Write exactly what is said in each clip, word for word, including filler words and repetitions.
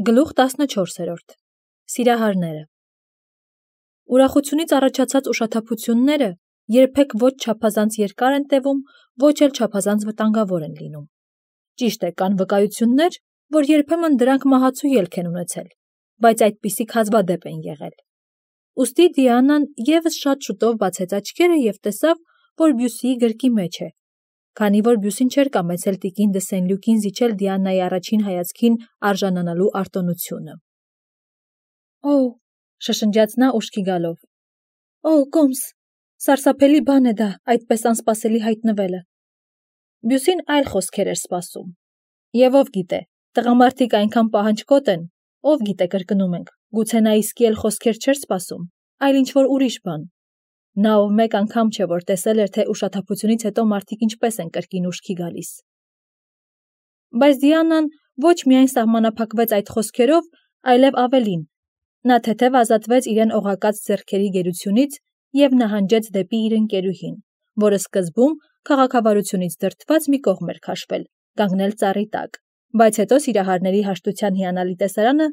Գլուխ տասնչորսերորդ Սիրահարները Ուրախությունից առաջացած ուշաթափությունները երբեք ոչ չափազանց երկար են տևում, ոչ էլ չափազանց վտանգավոր են լինում։ Ճիշտ է, կան վկայություններ, որ երբեմն դրանք մահացու ելք են ունեցել, բայց այդպիսիք հազվադեպ են եղել։ Ուստի Դիանան ևս շատ շուտով բացեց աչքերը և տեսավ, որ Բյուսիի գրկի մեջ է, քանի որ Բյուսին չէր կամեցել տիկին դը Սենլյուկին զիջել Դիանայի առաջին հայացքին արժանանալու արտոնությունը։ Օ՜, շշնջաց նա ուշքի գալով։ Օ, Կոմս, սարսափելի բան է դա, այդպես անսպասելի հայտնվելը։ Բյուսին այլ խոսքեր էր սպասում։ Եվ ով գիտե, տղամարդիկ այնքան պահանջկոտ են, ով գիտե կրկնում ենք, գուցե նա իսկի էլ խոսքեր չէր սպասում, այլ ինչ-որ ուրիշ բան։ Նա ով մեկ անգամ չէ, որ տեսել էր, թե ուշաթափությունից հետո մարդիկ ինչպես են կրկին ուշքի գալիս։ Բայց Դիանան ոչ միայն սահմանափակվեց այդ խոսքերով, այլև ավելին։ Նա թեթև ազատվեց իրեն օղակած ձեռքերի գերությունից և նահանջեց դեպի իր ընկերուհին, որը սկզբում քաղաքավարությունից դրդված մի կողմ էր քաշվել, կանգնել ծառի տակ, բայց հետո սիրահարների հաշտության հիանալի տեսարանը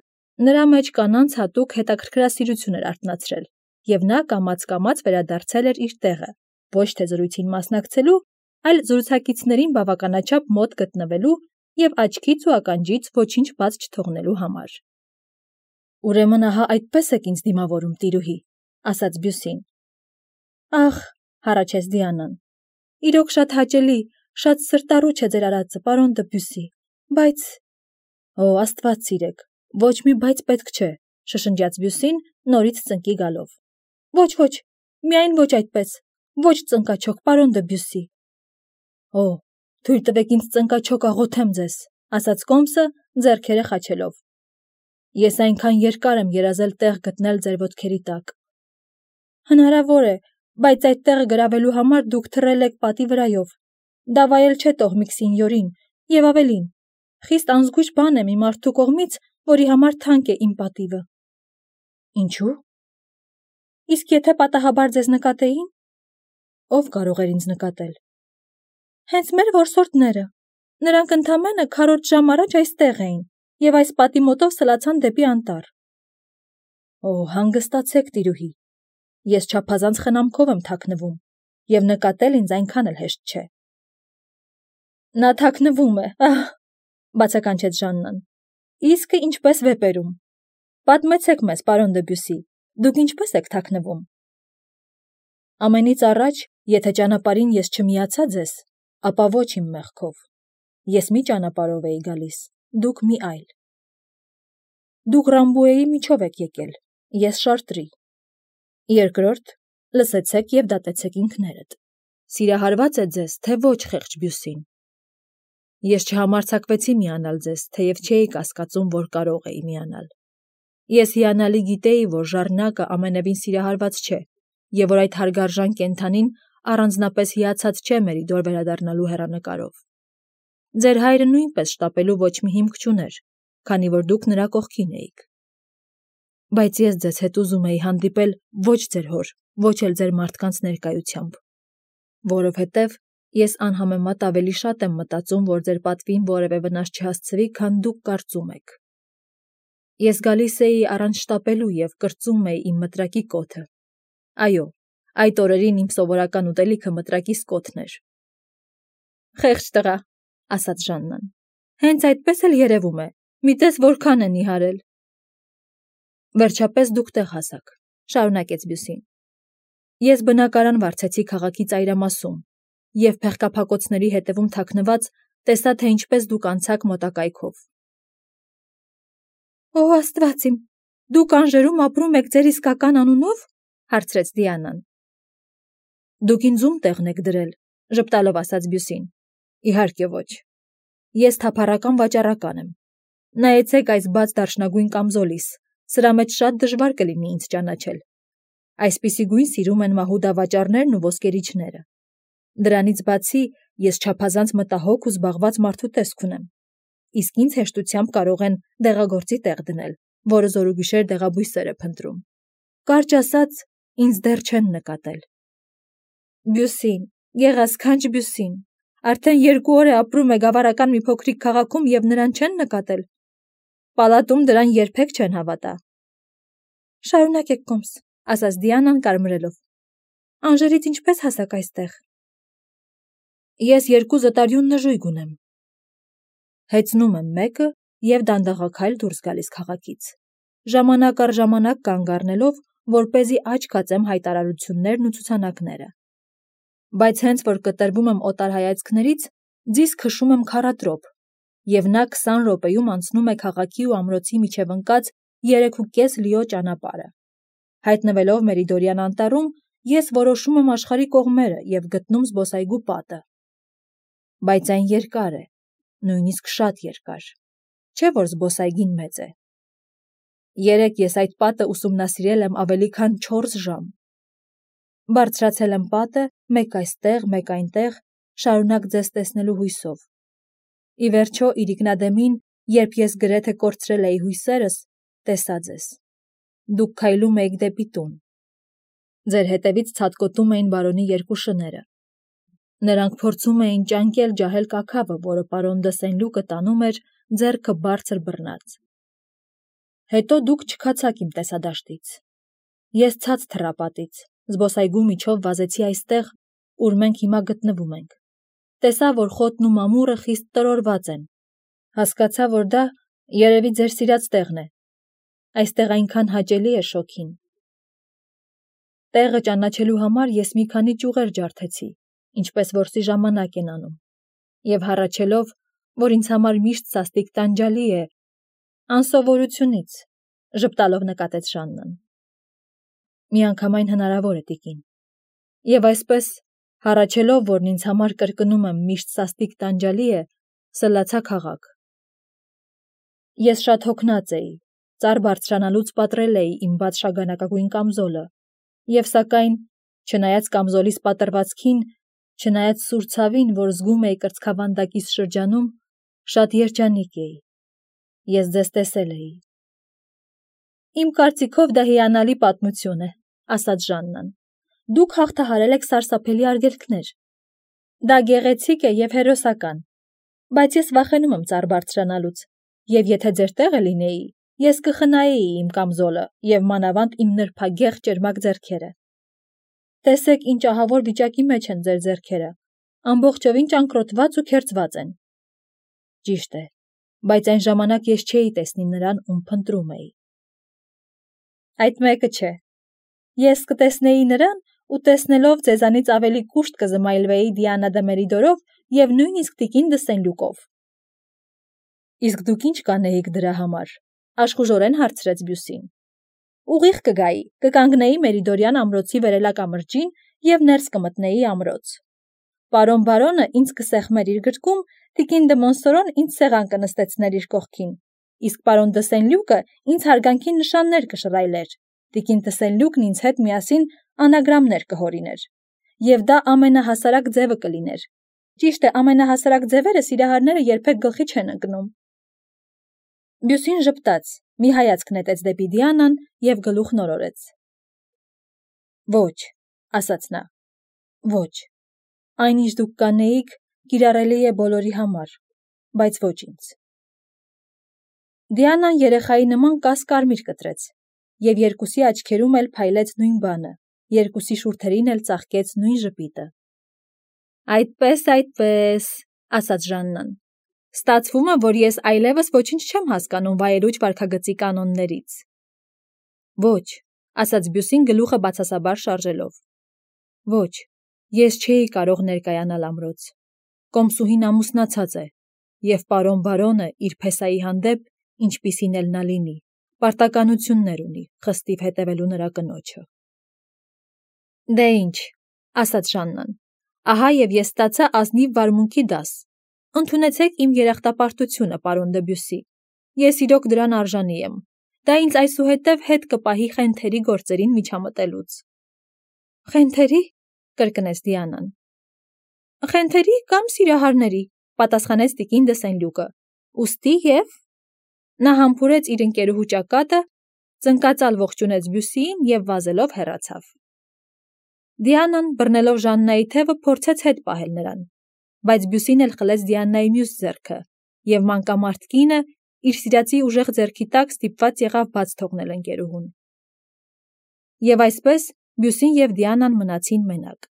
նրա մեջ կանանց հատուկ հետաքրքրասիրություն էր արթնացրել, և նա կամաց-կամաց վերադարձել էր իր տեղը, ոչ թե զրույցին մասնակցելու, այլ զրուցակիցներին բավականաչափ մոտ գտնվելու և աչքից ու ականջից ոչինչ բաց չթողնելու համար։ Ուրեմն ահա այդպես եք ինձ դիմավորում, տիրուհի, ասաց Բյուսին։ Ախ, հառաչեց Դիանան, իրոք շատ հաճելի, շատ սրտառուչ է ձեր արածը, պարոն դը Բյուսի, բայց… Օ, Աստված սիրեք, ոչ մի բայց պետք չէ, շշնջաց Բյուսին, նորից ծնկի գալով։ Ոչ, ոչ, միայն ոչ այդպես, ոչ ծնկաչոք, պարոն դը Բյուսի։ Օ, թույլ տվեք ինձ ծնկաչոք աղոթեմ ձեզ, ասաց Կոմսը, ձեռքերը խաչելով։ Ես այնքան երկար եմ երազել տեղ գտնել ձեր ոտքերի տակ։ Հնարավոր է, բայց այդ տեղը գրավելու համար դուք թռել եք պատի վրայով։ Դա վայել չէ տոհմիկ սինյորին, և ավելին, խիստ անզգույշ բան է մի մարդու կողմից, որի համար թանկ է իմ պատիվը։ Ինչու՞։ Իսկ եթե պատահաբար ձեզ նկատեին։ Ով կարող էր ինձ նկատել։ Հենց մեր որսորդները։ Նրանք ընդամենը քառորդ ժամ առաջ այստեղ էին և այս պատի մոտով սլացան դեպի անտառ։ Օ, հանգստացեք, տիրուհի, ես չափազանց խնամքով եմ թաքնվում, և նկատել ինձ այնքան էլ հեշտ չէ։ Նա թաքնվում է, ահ, բացականչեց Ժաննան։ Իսկը ինչպես վեպերում։ Պատմեցեք մեզ, պարոն դը Բյուսի, դուք ինչպես եք թաքնվում։ Ամենից առաջ, եթե ճանապարհին ես չմիացա ձեզ, ապա ոչ իմ մեղքով։ Ես մի ճանապարհով էի գալիս, դուք մի այլ։ Դուք Ռամբուեի միջով եք եկել, ես Շարտրի։ Երկրորդ, լսեցեք և դատեցեք ինքներդ։ Սիրահարված է ձեզ, թե ոչ խեղճ Բյուսին։ Ես չհամարձակվեցի միանալ ձեզ, թեև չէի կասկածում, որ կարող էի միանալ։ Ես հիանալի գիտեի, որ Ժառնակը ամենևին սիրահարված չէ, և որ այդ հարգարժան կենդանին առանձնապես հիացած չէ Մերիդոր վերադառնալու հեռանկարով։ Ձեր հայրը նույնպես շտապելու ոչ մի հիմք չուներ, քանի որ դուք նրա կողքին էիք։ Բայց ես ձեզ հետ ուզում էի հանդիպել ոչ ձեր հոր, ոչ էլ ձեր մարդկանց ներկայությամբ, որովհետև ես անհամեմատ ավելի շատ եմ մտածում, որ ձեր պատվին որևէ վնաս չհասցվի, քան դուք կարծում եք։ Ես գալիս էի առանց շտապելու և կրծում էի իմ մտրակի կոթը։ Այո, այդ օրերին իմ սովորական ուտելիքը մտրակիս կոթն էր։ Խեղճ տղա, ասաց Ժաննան, հենց այդպես էլ երևում է, մի տես որքան է նիհարել։ Վերջապես դուք տեղ հասաք, շարունակեց Բյուսին։ Ես բնակարան վարձեցի քաղաքի ծայրամասում և փեղկափակոցների հետևում թաքնված տեսա, թե ինչպես դուք անցաք մոտակայքով։ Օ, Աստված իմ, դուք Անժերում ապրում եք ձեր իսկական անունո՞վ, հարցրեց Դիանան։ Դուք ինձ ում տեղն եք դրել, ժպտալով ասաց Բյուսին։ Իհարկե ոչ։ Ես թափառական վաճառական եմ։ Նայեցեք այս բաց դարչնագույն կամզոլիս, սրա մեջ շատ դժվար կլինի ինձ ճանաչել։ Այսպիսի գույն սիրում են մահուդավաճառներն ու ոսկերիչները։ Դրանից բացի ես չափազանց մտահոգ ու զբաղված մարդու տեսք ունեմ, իսկ ինձ հեշտությամբ կարող են դեղագործի տեղ դնել, որը զորուգիշեր դեղաբույսեր է փնտրում։ Կարճ ասած, ինձ դեռ չեն նկատել։ Բյուսին, գեղասքանչ Բյուսին, արդեն երկու օր է ապրում է գավառական մի փոքրիկ քաղաքում և նրան չեն նկատել։ Պալատում դրան երբեք չեն հավատա։ Շարունակեք կոմս, ասաց Դիանան կարմրելով։ Անժերից ինչպես հասակ այստեղ։ Ես երկու զտարյուն նժույգ ունեմ։ Հեծնում եմ մեկը և դանդաղաքայլ դուրս գալիս քաղաքից, ժամանակ առ ժամանակ կանգ առնելով, որպեսզի աչք հացեմ հայտարարություններն ու ցուցանակները։ Բայց հենց որ կտրվում եմ օտար հայացքներից, ձիզ քշում եմ քառատրոփ, և նա քսան րոպեում անցնում է քաղաքի ու ամրոցի միջև ընկած երեքուկես լիո ճանապարհը։ Հայտնվելով Մերիդորյան անտառում, ես որոշում եմ աշխարհի կողմերը և գտնում զբոսայգու պատը։ Բայց այն երկար է, նույնիսկ շատ երկար, չէ՞ որ զբոսայգին մեծ է։ Երեկ ես այդ պատը ուսումնասիրել եմ ավելի քան չորս ժամ։ Բարձրացել եմ պատը, մեկ այստեղ, մեկ այնտեղ, շարունակ ձեզ տեսնելու հույսով։ Ի վերջո իրիկնադեմին, երբ ես գրեթե կորցրել էի հույսերս, տեսա ձեզ։ Դուք քայլում էիք դեպի տուն։ Ձեր հետևից ցատկոտում էին բարոնի երկու շները։ Նրանք փորձում էին ճանկել ջահել կաքավը, որը պարոն դը Սենլյուկը տանում էր ձեռքը բարձր բռնած։ Հետո դուք չքացաք իմ տեսադաշտից։ Ես ցած թռա պատից, զբոսայգու միջով վազեցի այստեղ, ուր մենք հիմա գտնվում ենք։ Տեսա, որ խոտն ու մամուռը խիստ տրորված են։ Հասկացա, որ դա երևի ձեր սիրած տեղն է։ Այստեղ այնքան հաճելի է շոգին։ Տեղը ճանաչելու համար ես մի քանի ճյուղեր ջարդեցի, ինչպես որսի ժամանակ են անում, և հառաչելով, որ ինձ համար միշտ սաստիկ տանջալի է, անսովորությունից, ժպտալով նկատեց Ժաննան։ Միանգամայն հնարավոր է, տիկին։ Եվ այսպես, հառաչելով, որն ինձ համար կրկնում եմ միշտ սաստիկ տանջալի է, սլացա քաղաք։ Ես շատ հոգնած էի, ծառ բարձրանալուց պատռել էի իմ բաց շագանակագույն կամզոլը, և սակայն, չնայած կամզոլիս պատռվածքին, չնայած սուր ցավին, որ զգում էի կրծքավանդակիս շրջանում, շատ երջանիկ էի։ Ես ձեզ տեսել էի։ Իմ կարծիքով դա հիանալի պատմություն է, ասաց Ժաննան։ Դուք հաղթահարել եք սարսափելի արգելքներ։ Դա գեղեցիկ է և հերոսական, բայց ես վախենում եմ ծառ բարձրանալուց, և եթե ձեր տեղը լինեի, ես կխնայեի իմ կամզոլը և մանավանդ իմ նրբագեղ ճերմակ ձեռքերը։ Տեսեք, ինչ ահավոր վիճակի մեջ են ձեր ձեռքերը, ամբողջովին ճանկռոտված ու քերծված են։ Ճիշտ է, բայց այն ժամանակ ես չէի տեսնի նրան, ում փնտրում էի։ Այդ մեկը չէ։ Ես կտեսնեի նրան ու տեսնելով ձեզանից ավելի կուշտ կզմայլվեի Դիանա դը Մերիդորով և նույնիսկ տիկին դը Սենլյուկով։ Իսկ դուք ինչ կանեիք դրա համար, աշխուժորեն հարցրեց Բյուսին։ Ուղիղ կգայի, կկանգնեի Մերիդորյան ամրոցի վերելակամրջին և ներս կմտնեի ամրոց։ Պարոն բարոնը ինձ կսեղմեր իր գրկում, տիկին դը Մոնսորոն ինձ սեղան կնստեցներ իր կողքին, իսկ պարոն դը Սենլյուկը ինձ հարգանքի նշաններ կշռայլեր, տիկին դը Սենլյուկն ինձ հետ միասին անագրամներ կհորիներ։ Եվ դա ամենահասարակ ձևը կլիներ։ Ճիշտ է, ամենահասարակ ձևերը սիրահարները երբեք գլխի չեն ընկնում։ Բյուսին ժպտաց, մի հայացք նետեց դեպի Դիանան և գլուխ նորորեց։ Ոչ, ասաց նա, ոչ, այն ինչ դուք կանեիք, կիրառելի է բոլորի համար, բայց ոչ ինձ։ Դիանան երեխայի նման կաս կարմիր կտրեց, և երկուսի աչքերում էլ փայլեց նույն բանը, երկուսի շուրթերին էլ ծաղկեց նույն ժպիտը։ Այդպես, այդպես, ասաց Ժաննան։ Ստացվում է, որ ես այլևս ոչինչ չեմ հասկանում վայելուչ վարքագծի կանոններից։ Ոչ, ասաց Բյուսին գլուխը բացասաբար շարժելով։ Ոչ, ես չէի կարող ներկայանալ ամրոց։ Կոմսուհին ամուսնացած է, և պարոն բարոնը իր փեսայի հանդեպ, ինչպիսին էլ նա լինի, պարտականություններ ունի խստիվ հետևելու նրա կնոջը։ Դե ինչ, ասաց Ժաննան, ահա և ես ստացա ազնիվ վարմունքի դաս։ Ընդունեցեք իմ երախտապարտությունը, պարոն դը Բյուսի։ Ես իրոք դրան արժանի եմ։ Դա ինձ այսուհետև հետ կպահի խենթերի գործերին միջամտելուց։ Խենթերի, կրկնեց Դիանան։ Խենթերի կամ սիրահարների, պատասխանեց տիկին դը Սենլյուկը։ Ուստի և… Նա համբուրեց իր ընկերուհու ճակատը, ծնկածալ ողջունեց Բյուսիին և վազելով հեռացավ։ Դիանան, բռնելով Ժաննայի թևը, փորձեց հետ պահել նրան, բայց Բյուսին էլ խլեց Դիանայի մյուս ձեռքը, և մանկամարդ կինը, իր սիրածի ուժեղ ձեռքի տակ ստիպված եղավ բաց թողնել ընկերուհուն։ Եվ այսպես Բյուսին և Դիանան մնացին մենակ։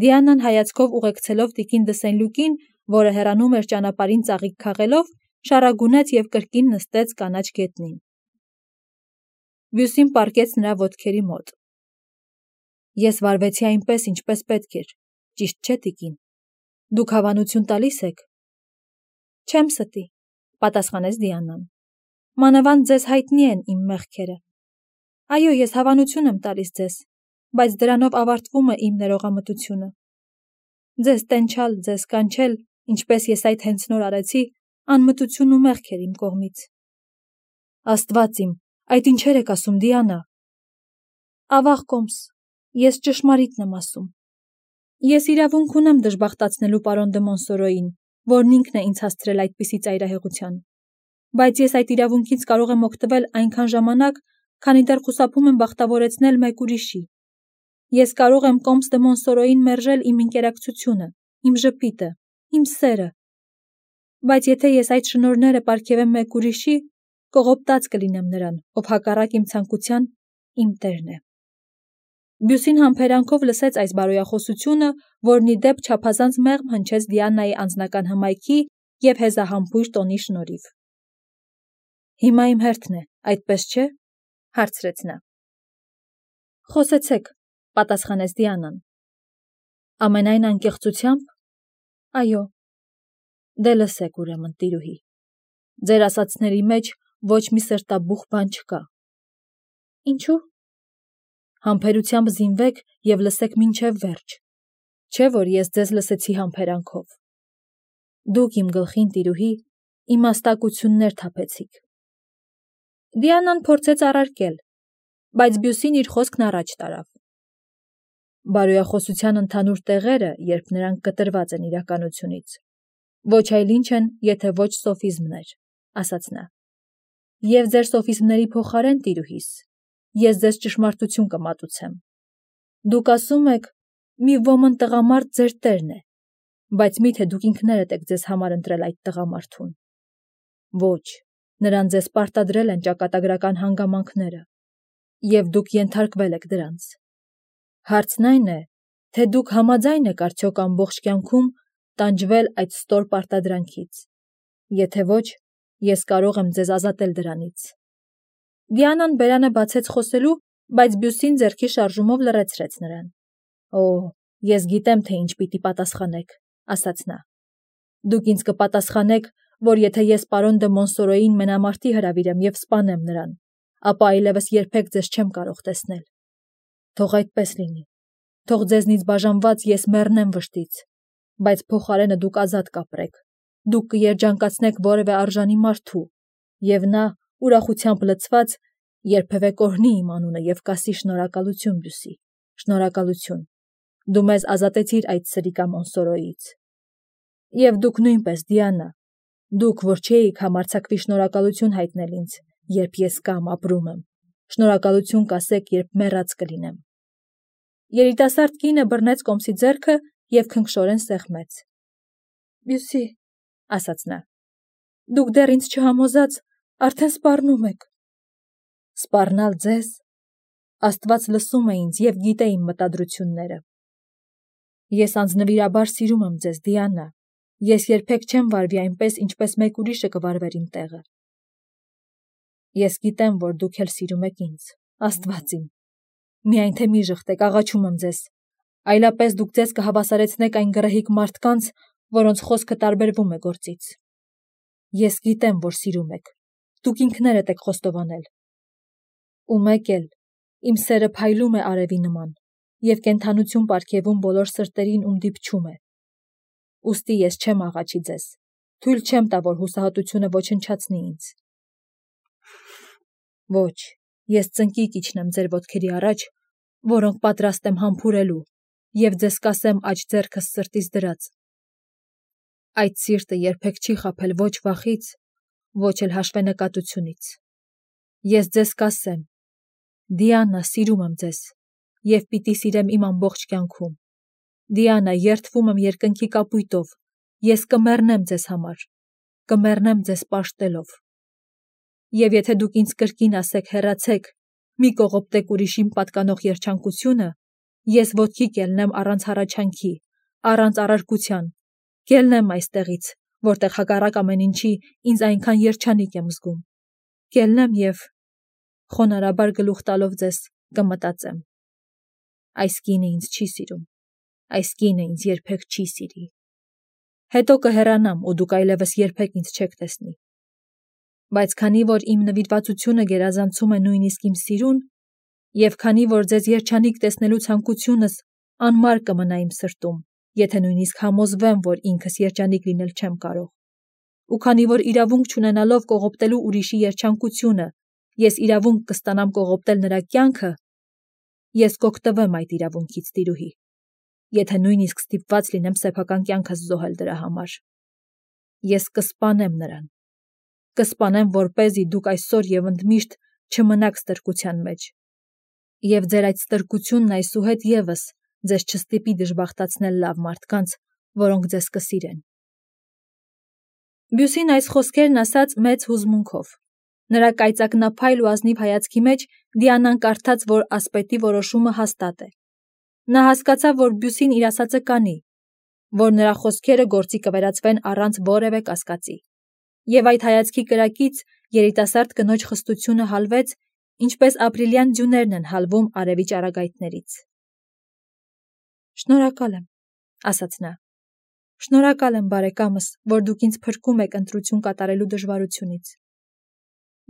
Դիանան հայացքով ուղեկցելով տիկին Դսենլուկին, որը հեռանում էր ճանապարհին ծաղիկ քաղելով, շառագունեց և կրկին նստեց կանաչ գետնին։ Բյուսին պառկեց նրա ոտքերի մոտ։ Ես վարվեցի այնպես, ինչպես պետք էր, ճիշտ չէ, տիկին։ Դուք հավանություն տալիս եք։ Չեմ ստի, պատասխանեց Դիանան։ Մանավանդ ձեզ հայտնի են իմ մեղքերը։ Այո, ես հավանություն եմ տալիս ձեզ, բայց դրանով ավարտվում է իմ ներողամտությունը։ Ձեզ տենչալ, ձեզ կանչել, ինչպես ես այդ հենց նոր արեցի, անմտություն ու մեղք էր իմ կողմից։ Աստված իմ, այդ ինչեր եք ասում, Դիանա։ Ավաղ կոմս, ես ճշմարիտն եմ ասում։ Ես իրավունք ունեմ դժբախտացնելու պարոն դը Մոնսորոյին, որն ինքն է ինձ հասցրել այդպիսի ծայրահեղության, բայց ես այդ իրավունքից կարող եմ օգտվել այնքան ժամանակ, քանի դեռ խուսափում եմ բախտավորեցնել մեկ ուրիշի։ Ես կարող եմ կոմս դը Մոնսորոյին մերժել իմ ինկերակցությունը, իմ ժպիտը, իմ սերը, բայց եթե ես այդ շնորհները պարգևեմ մեկ ուրիշի, կողոպտած կլինեմ նրան, ով հակառակ իմ ցանկության իմ տերն է։ Բյուսին համբերանքով լսեց այս բարոյախոսությունը, որն ի դեպ չափազանց մեղմ հնչեց Դիանայի անձնական հմայքի և հեզահամբույր տոնի շնորհիվ։ Հիմա իմ հերթն է, այդպես չէ՞, հարցրեց նա։ Խոսեցեք, պատասխանեց Դիանան։ Ամենայն անկեղծությամբ։ Այո։ Դե լսեք ուրեմն, տիրուհի։ Ձեր ասածների մեջ ոչ մի սրտաբուխ բան չկա։ Ինչու՞։ Համբերությամբ զինվեք և լսեք մինչև վերջ, չէ՞ որ ես ձեզ լսեցի համբերանքով։ Դուք իմ գլխին, տիրուհի, իմաստակություններ թափեցիք։ Դիանան փորձեց առարկել, բայց Բյուսին իր խոսքն առաջ տարավ։ Բարոյախոսության ընդհանուր տեղերը, երբ նրանք կտրված են իրականությունից, ոչ այլ ինչ են, եթե ոչ սոֆիզմներ, ասաց նա։ Եվ ձեր սոֆիզմների փոխարեն, տիրուհիս, ես ձեզ ճշմարտություն կմատուցեմ։ Դուք ասում եք, մի ոմն տղամարդ ձեր տերն է, բայց միթե դուք ինքներդ եք ձեզ համար ընտրել այդ տղամարդուն։ Ոչ, նրան ձեզ պարտադրել են ճակատագրական հանգամանքները, և դուք ենթարկվել եք դրանց։ Հարցն այն է, թե դուք համաձայն եք արդյոք ամբողջ կյանքում տանջվել այդ ստոր պարտադրանքից։ Եթե ոչ, ես կարող եմ ձեզ ազատել դրանից։ Դիանան բերանը բացեց խոսելու, բայց Բյուսին ձեռքի շարժումով լռեցրեց նրան։ Օ, ես գիտեմ, թե ինչ պիտի պատասխանեք, ասաց նա։ Դուք ինձ կպատասխանեք, որ եթե ես պարոն դը Մոնսորոյին մենամարտի հրավիրեմ և սպանեմ նրան, ապա այլևս երբեք ձեզ չեմ կարող տեսնել։ Թող այդպես լինի։ Թող ձեզնից բաժանված ես մեռնեմ վշտից, բայց փոխարենը դուք ազատ կապրեք։ Դուք կերջանկացնեք որևէ արժանի մարդու, և նա, ուրախությամբ լցված, երբևէ կօրհնի իմ անունը և կասի շնորհակալություն, Բյուսի, շնորհակալություն։ Դու մեզ ազատեցիր այդ սրիկա Մոնսորոյից։ Եվ դուք նույնպես, Դիանա, դուք, որ չէիք համարձակվի շնորհակալություն հայտնել ինձ, երբ ես կամ ապրում եմ, շնորհակալություն կասեք, երբ մեռած կլինեմ։ Երիտասարդ կինը բռնեց կոմսի ձեռքը և քնքշորեն սեղմեց։ Բյուսի, ասաց նա, դուք դեռ ինձ չհամոզած արդեն սպառնում եք։ Սպառնալ ձեզ։ Աստված լսում է ինձ և գիտե իմ մտադրությունները։ Ես անձնվիրաբար սիրում եմ ձեզ, Դիանա։ Ես երբեք չեմ վարվի այնպես, ինչպես մեկ ուրիշը կվարվեր իմ տեղը։ Ես գիտեմ, որ դուք էլ սիրում եք ինձ, Աստված իմ։ Միայն թե մի ժխտեք, աղաչում եմ ձեզ։ Այլապես դուք ձեզ կհավասարեցնեք այն գռեհիկ մարդկանց, որոնց խոսքը տարբերվում է գործից։ Ես գիտեմ, որ սիրում եք։ Դուք ինքներդ եք խոստովանել։ Ու մեկ էլ, իմ սերը փայլում է արևի նման, և կենդանություն պարգևում բոլոր սրտերին, ում դիպչում է։ Ուստի ես չեմ աղաչի ձեզ, թույլ չեմ տա, որ հուսահատությունը ոչնչացնի ինձ։ Ոչ, ես ծնկի կիջնեմ ձեր ոտքերի առաջ, որոնք պատրաստ եմ համբուրելու, և ձեզ կասեմ աջ ձեռքս սրտից դրած։ Այդ սիրտը երբեք չի խաբել ոչ վախից, ոչ էլ հաշվենկատությունից։ Ես ձեզ կասեմ. Դիանա, սիրում եմ ձեզ, և պիտի սիրեմ իմ ամբողջ կյանքում։ Դիանա, երդվում եմ երկնքի կապույտով, ես կմեռնեմ ձեզ համար, կմեռնեմ ձեզ պաշտելով, Եվ եթե դուք ինձ կրկին ասեք հեռացեք, մի կողոպտեք ուրիշին պատկանող երջանկությունը, ես ոտքի կելնեմ առանց հառաչանքի, առանց առարկության, կելնեմ այստեղից, որտեղ հակառակ ամեն ինչի ինձ այնքան երջանիկ եմ զգում, կելնեմ և խոնարհաբար գլուխ տալով ձեզ կմտածեմ. այս կինը ինձ չի սիրում, այս կինը ինձ երբեք չի սիրի։ Հետո կհեռանամ ու դուք այլևս երբեք ինձ չեք տեսնի։ Բայց քանի որ իմ նվիրվածությունը գերազանցում է նույնիսկ իմ սիրուն, և քանի որ ձեզ երջանիկ տեսնելու ցանկությունս անմար կմնա իմ սրտում, եթե նույնիսկ համոզվեմ, որ ինքս երջանիկ լինել չեմ կարող, ու քանի որ իրավունք չունենալով կողոպտելու ուրիշի երջանկությունը, ես իրավունք կստանամ կողոպտել նրա կյանքը, ես կօգտվեմ այդ իրավունքից, տիրուհի, եթե նույնիսկ ստիպված լինեմ սեփական կյանքս զոհել դրա համար։ Ես կսպանեմ նրան, կսպանեմ, որպեսզի դուք այսօր և ընդմիշտ չմնաք ստրկության մեջ, և ձեր այդ ստրկությունն այսուհետ ևս ձեզ չստիպի դժբախտացնել լավ մարդկանց, որոնք ձեզ կսիրեն։ Բյուսին այս խոսքերն ասաց մեծ հուզմունքով։ Նրա կայծակնափայլ ու ազնիվ հայացքի մեջ Դիանան կարդաց, որ ասպետի որոշումը հաստատ է։ Նա հասկացավ, որ Բյուսին իր ասածը կանի, որ նրա խոսքերը գործի կվերածվեն առանց որևէ կասկածի։ Եվ այդ հայացքի կրակից երիտասարդ կնոջ խստությունը հալվեց, ինչպես ապրիլյան ձյուներն են հալվում արևի ճառագայթներից։ Շնորհակալ եմ, ասաց նա։ Շնորհակալ եմ, բարեկամս, որ դուք ինձ փրկում եք ընտրություն կատարելու դժվարությունից։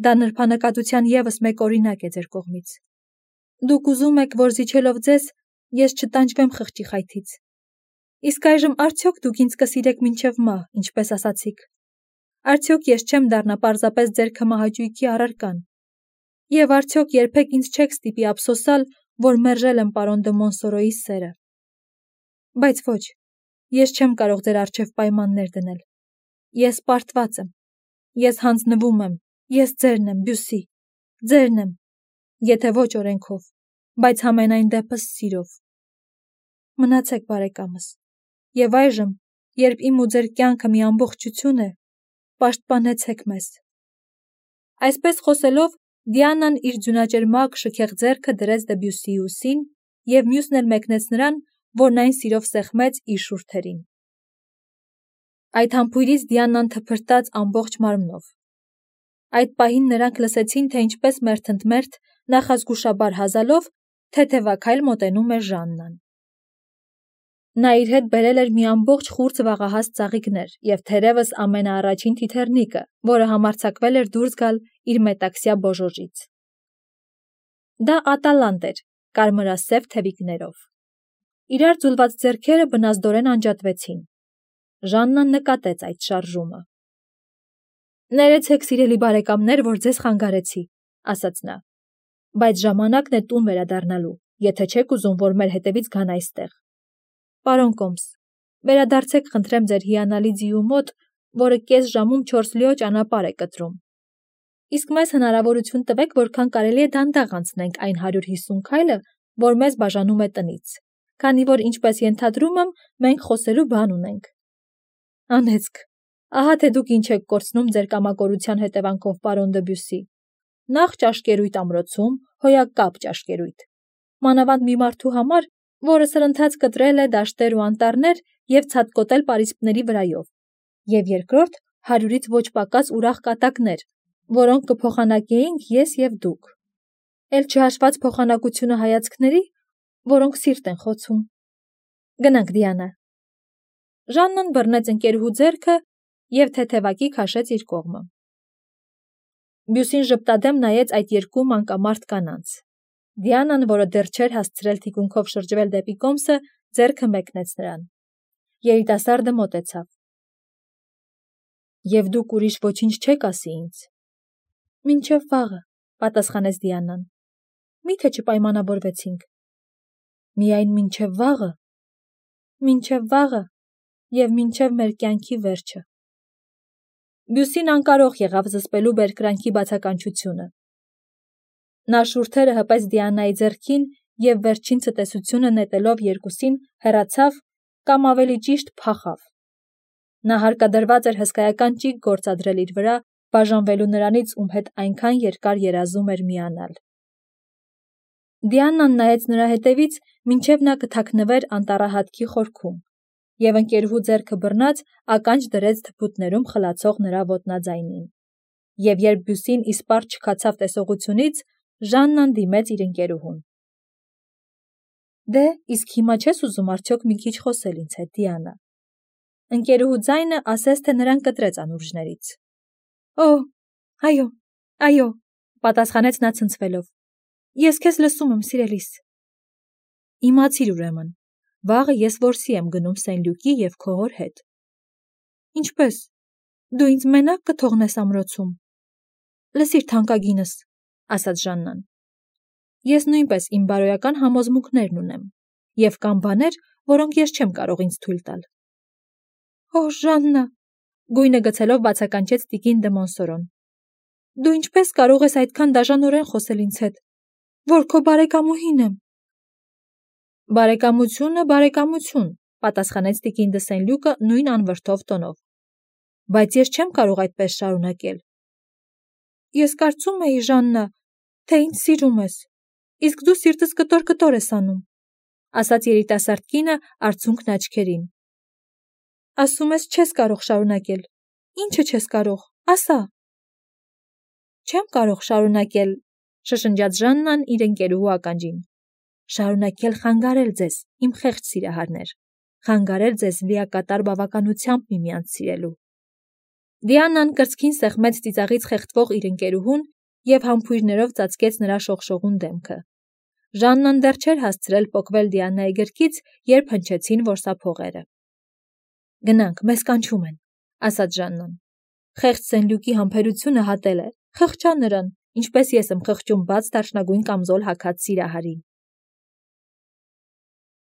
Դա նրբանկատության ևս մեկ օրինակ է ձեր կողմից։ Դուք ուզում եք, որ զիջելով ձեզ, ես չտանջվեմ խղճի խայթից։ Իսկ այժմ արդյոք դուք ինձ կսիրեք մինչև մահ, ինչպես ասացիք։ Արդյոք ես չեմ դառնա պարզապես ձեր քմահաճույքի առարկան։ Եվ արդյոք երբեք ինձ չեք ստիպի ափսոսալ, որ մերժել եմ պարոն դը Մոնսորոյի սերը։ Բայց ոչ, ես չեմ կարող ձեր առջև պայմաններ դնել։ Ես պարտված եմ, ես հանձնվում եմ, ես ձերն եմ, Բյուսի, ձերն եմ, եթե ոչ օրենքով, բայց համենայն դեպս սիրով։ Մնացեք, բարեկամս, և այժմ, երբ իմ ու ձեր կյանքը մի ամբողջություն է, պաշտպանեցեք մեզ։ Այսպես խոսելով, Դիանան իր ձյունաճերմակ շքեղ ձեռքը դրեց Դեբյուսիի ուսին և մյուսն էլ մեկնեց նրան, որն այն սիրով սեղմեց իր շուրթերին։ Այդ համբույրից Դիանան թփրտաց ամբողջ մարմնով։ Այդ պահին նրանք լսեցին, թե ինչպես մերթընդմերթ, նախազգուշաբար հազալով, թեթևաքայլ մոտենում է Ժաննան։ Նա իր հետ բերել էր մի ամբողջ խուրձ վաղահաս ծաղիկներ և թերևս ամենաառաջին թիթեռնիկը, որը համարձակվել էր դուրս գալ իր մետաքսյա բոժոժից։ Դա ատալանտ էր, կարմրասև թևիկներով։ Իրար ձուլված ձեռքերը բնազդորեն անջատվեցին։ Ժաննան նկատեց այդ շարժումը։ Ներեցեք, սիրելի բարեկամներ, որ ձեզ խանգարեցի, ասաց նա, բայց ժամանակն է տուն վերադառնալու, եթե չեք ուզում, որ մեր հետևից գան այստեղ։ Պարոն Կոմս, վերադարձեք խնդրեմ ձեր հիանալի ձիու մոտ, որը կես ժամում չորս լիո ճանապարհ է կտրում։ Իսկ մեզ հնարավորություն տվեք, որքան կարելի է դանդաղ անցնենք այն հարյուր հիսուն քայլը, որ մեզ բաժանում է տնից, քանի որ, ինչպես ենթադրում եմ, մենք խոսելու բան ունենք։ Անեծք, ահա թե դուք ինչ եք կորցնում ձեր կամակորության հետևանքով, պարոն Դեբյուսի։ Նախ ճաշկերույթ ամրոցում, հոյակապ ճաշկերույթ։ Մանավանդ մի մարդու համար, որը սրընթաց կտրել է դաշտեր ու անտառներ և ցատկոտել պարիսպների վրայով, և երկրորդ հարյուրից ոչ պակաս ուրախ կատակներ, որոնք կփոխանակեինք ես և դուք, էլ չհաշված փոխանակությունը հայացքների, որոնք սիրտ են խոցում։ Գնանք, Դիանա։ Ժաննան բռնեց ընկերուհու ձեռքը և թեթևակի քաշեց իր կողմը։ Բյուսին ժպտադեմ նայեց այդ երկու մանկամարդ կանանց։ Դիանան, որը դեռ չէր հասցրել թիկունքով շրջվել դեպի Կոմսը, ձեռքը մեկնեց նրան։ Երիտասարդը մոտեցավ։ Եվ դուք ուրիշ ոչինչ չեք ասի ինձ։ Մինչև վաղը, պատասխանեց Դիանան։ Մի՞թե չպայմանավորվեցինք։ Միայն մինչև վաղը։ Մինչև վաղը և մինչև մեր կյանքի վերջը։ Բյուսին անկարող եղավ զսպելու բերկրանքի բացականչությունը։ Նա շուրթերը հպեց Դիանայի ձեռքին և վերջին ցտեսությունը նետելով երկուսին հեռացավ կամ ավելի ճիշտ փախավ։ Նա հարկադրված էր հսկայական ճիգ գործադրել իր վրա, բաժանվելու նրանից, ում հետ այնքան երկար երազում էր միանալ։ Դիանան նայեց նրա հետևից, մինչև նա կթաքնվեր անտառահատքի խորքում, և ընկերուհու ձեռքը բռնած ականջ դրեց թփուտներում խլացող նրա ոտնաձայնին։ Եվ երբ Բյուսին իսպառ չքացավ տեսողությունից, Ժաննան դիմեց իր ընկերուհուն։ Դե, իսկ հիմա չես ուզում արդյոք մի քիչ խոսել ինձ հետ, Դիանա։ Ընկերուհու ձայնը ասես թե նրան կտրեց անուրջներից։ Օ, այո, այո, պատասխանեց նա ցնցվելով։ Ես քեզ լսում եմ, սիրելիս։ Իմացիր ուրեմն, վաղը ես որսի եմ գնում Սեն-Լյուկի և քո հոր հետ։ Ինչպե՞ս։ Դու ինձ մենակ կթողնես ամրոցում։ Լսիր, թանկագինս, ասաց Ժաննան։ Ես նույնպես իմ բարոյական համոզմունքներն ունեմ, և կան բաներ, որոնք ես չեմ կարող ինձ թույլ տալ։ Օ, Ժաննա, գույնը գցելով բացականչեց տիկին դը Մոնսորոն։ Դու ինչպես կարող ես այդքան դաժանորեն խոսել ինձ հետ, որ քո բարեկամուհին եմ։ Բարեկամությունը, բարեկամություն, պատասխանեց տիկին դը Սեն-Լյուկը նույն անվրդով տոնով։ Բայց ես չեմ կարող այդպես շարունակել։ Ես կարծում էի, Ժաննա, թե ինձ սիրում ես, իսկ դու սիրտս կտոր-կտոր ես անում, ասաց երիտասարդ կինը արցունքն աչքերին։ Ասում ես չես կարող շարունակել։ Ինչը չես կարող, ասա։ Չեմ կարող շարունակել, շշնջաց Ժաննան իր ընկերուհու ականջին։ Շարունակել խանգարել ձեզ, իմ խեղճ սիրահարներ, խանգարել ձեզ լիակատար բավականությամբ միմյանց սիրելու։ Դիանան կրծքին սեղմեց ծիծաղից խեղդվող իր ընկերուհուն և համբույրներով ծածկեց նրա շողշողուն դեմքը։ Ժաննան դեռ չէր հասցրել պոկվել Դիանայի գրկից, երբ հնչեցին որսափողերը։ Գնանք, մեզ կանչում են, ասաց Ժաննան։ Խեղճ Սեն-Լյուկի համբերությունը հատել է, խղճա նրան, ինչպես ես եմ խղճում բաց դարչնագույն կամզոլ հագած սիրահարին։